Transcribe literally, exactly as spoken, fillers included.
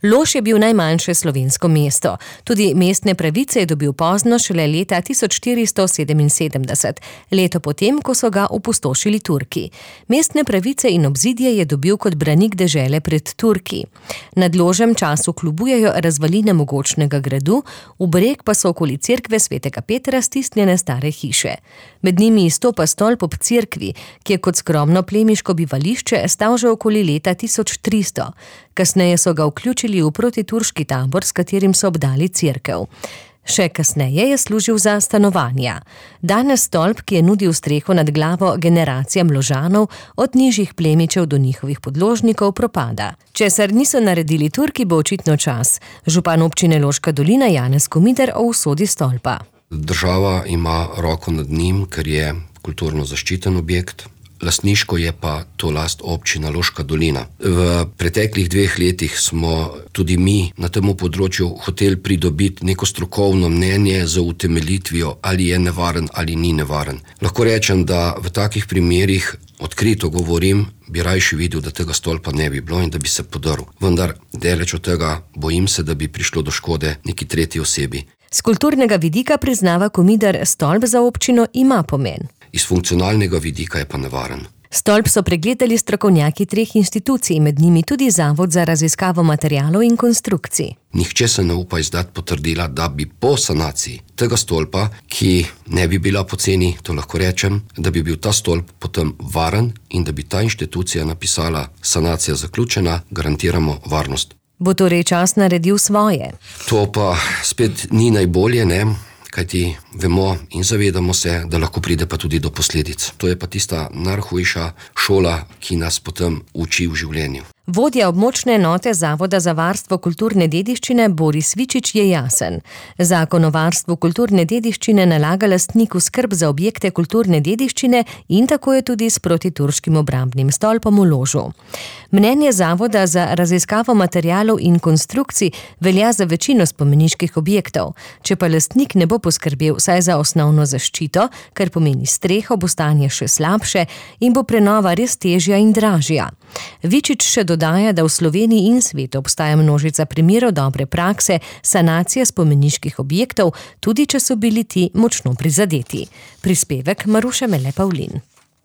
Lož je bil najmanjše slovensko mesto. Tudi mestne pravice je dobil pozno, šele leta tisoč štiristo sedeminsedemdeset, leto potem, ko so ga opustošili Turki. Mestne pravice in obzidje je dobil kot branik dežele pred Turki. Nad Ložem času klubujejo razvaline mogočnega gradu, v breg pa so okoli cerkve svetega Petra stisnjene stare hiše. Med njimi izstopa stolp ob cerkvi, ki je kot skromno plemiško bivališče stal že okoli leta tisoč tristo. Kasneje so ga vključili v protiturški tabor, s katerim so obdali cerkev. Še kasneje je služil za stanovanja. Danes stolp, ki je nudil streho nad glavo generacijam Ložanov, od nižjih plemičev do njihovih podložnikov, propada. Česar niso naredili Turki, bo očitno čas. Župan občine Loška dolina Janez Komider o usodi stolpa. Država ima roko nad njim, ker je kulturno zaščiten objekt. Lastniško je pa to last občina Loška dolina. V preteklih dveh letih smo tudi mi na tem področju hoteli pridobiti neko strokovno mnenje za utemeljitvijo, ali je nevaren ali ni nevaren. Lahko rečem, da v takih primerih, odkrito govorim, bi rajši videl, da tega stolpa ne bi bilo in da bi se podrl. Vendar, daleč od tega, bojim se, da bi prišlo do škode neki tretji osebi. Z kulturnega vidika priznava Komider, stolp za občino ima pomen. Iz funkcionalnega vidika je pa nevaren. Stolp so pregledali strokovnjaki treh institucij, med njimi tudi Zavod za raziskavo materialov in konstrukcij. Nihče se ne upa izdati potrdila, da bi po sanaciji tega stolpa, ki ne bi bila poceni, to lahko rečem, da bi bil ta stolp potem varen in da bi ta inštitucija napisala sanacija zaključena, garantiramo varnost. Bo torej čas naredil svoje? To pa spet ni najbolje, ne? Kajti vemo in zavedamo se, da lahko pride pa tudi do posledic. To je pa tista najhujša šola, ki nas potem uči v življenju. Vodja območne enote Zavoda za varstvo kulturne dediščine Boris Vičič je jasen. Zakon o varstvu kulturne dediščine nalaga lastniku skrb za objekte kulturne dediščine in tako je tudi s protiturškim obrambnim stolpom v Ložu. Mnenje Zavoda za raziskavo materialov in konstrukcij velja za večino spomeniških objektov. Če pa lastnik ne bo poskrbel vsaj za osnovno zaščito, kar pomeni streho, bo stanje še slabše in bo prenova res težja in dražja. Vičič še dodaja, da v Sloveniji in svetu obstaja množica primerov dobre prakse sanacije spomeniških objektov, tudi če so bili ti močno prizadeti. Prispevek Maruše Mele Pavlin.